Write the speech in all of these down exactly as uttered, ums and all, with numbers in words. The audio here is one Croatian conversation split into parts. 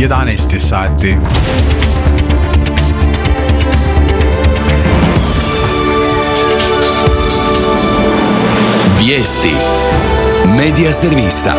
jedanaest je sati. Vijesti Medija servisa.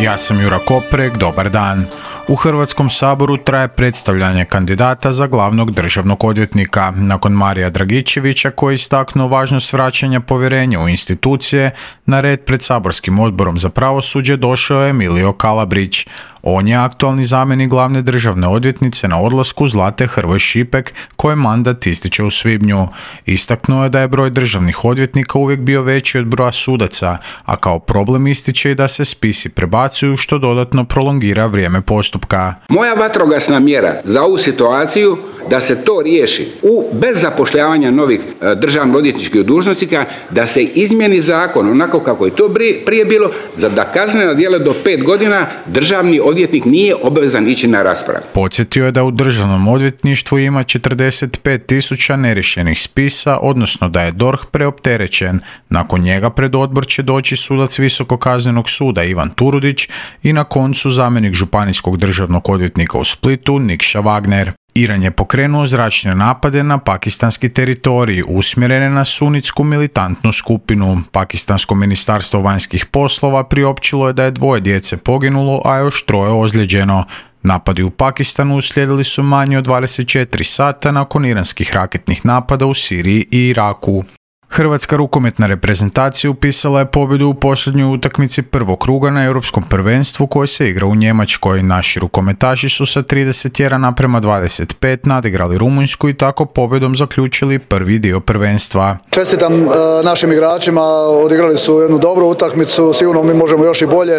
Ja sam Jura Koprek, dobar dan. U Hrvatskom saboru traje predstavljanje kandidata za glavnog državnog odvjetnika. Nakon Marija Dragičevića, koji je istaknuo važnost vraćanja povjerenja u institucije, na red pred saborskim odborom za pravosuđe došao je Emilio Kalabrić. On je aktualni zamjenik glavne državne odvjetnice na odlasku Zlate Hrvoj Šipek, koje mandat ističe u svibnju. Istaknuo je da je broj državnih odvjetnika uvijek bio veći od broja sudaca, a kao problem ističe i da se spisi prebacuju, što dodatno prolongira vrijeme postupka. Moja vatrogasna mjera za ovu situaciju da se to riješi u, bez zapošljavanja novih e, državno-odvjetničkih dužnosnika, da se izmijeni zakon onako kako je to prije bilo, za da kaznena djela do pet godina državni odvjetnik nije obavezan ići na raspravu. Podsjetio je da u državnom odvjetništvu ima četrdeset pet tisuća neriješenih spisa, odnosno da je D O R H preopterećen. Nakon njega pred odbor će doći sudac Visokog kaznenog suda Ivan Turudić i na koncu zamjenik županijskog državnog odvjetnika u Splitu Nikša Wagner. Iran je pokrenuo zračne napade na pakistanski teritorij, usmjerene na sunitsku militantnu skupinu. Pakistansko ministarstvo vanjskih poslova priopćilo je da je dvoje djece poginulo, a još troje ozlijeđeno. Napadi u Pakistanu uslijedili su manje od dvadeset četiri sata nakon iranskih raketnih napada u Siriji i Iraku. Hrvatska rukometna reprezentacija upisala je pobjedu u posljednjoj utakmici prvog kruga na Europskom prvenstvu koje se igra u Njemačkoj. Naši rukometaši su sa trideset jedan naprema dvadeset pet nadigrali Rumunjsku i tako pobjedom zaključili prvi dio prvenstva. Čestitam e, našim igračima, odigrali su jednu dobru utakmicu, sigurno mi možemo još i bolje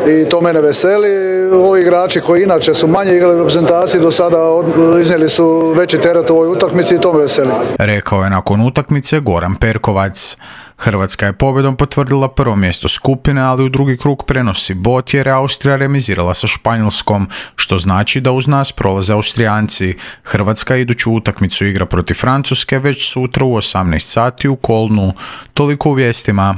i to mene veseli. Ovi igrači koji inače su manje igrali u reprezentaciji do sada od, iznijeli su veći teret u ovoj utakmici i to me veseli. Rekao je nakon utakmice Goran Perkovac. Hrvatska je pobjedom potvrdila prvo mjesto skupine, ali u drugi krug prenosi bod jer je Austrija remizirala sa Španjolskom, što znači da uz nas prolaze Austrijanci. Hrvatska iduću utakmicu igra protiv Francuske već sutra u osamnaest sati u Kolnu. Toliko u vijestima.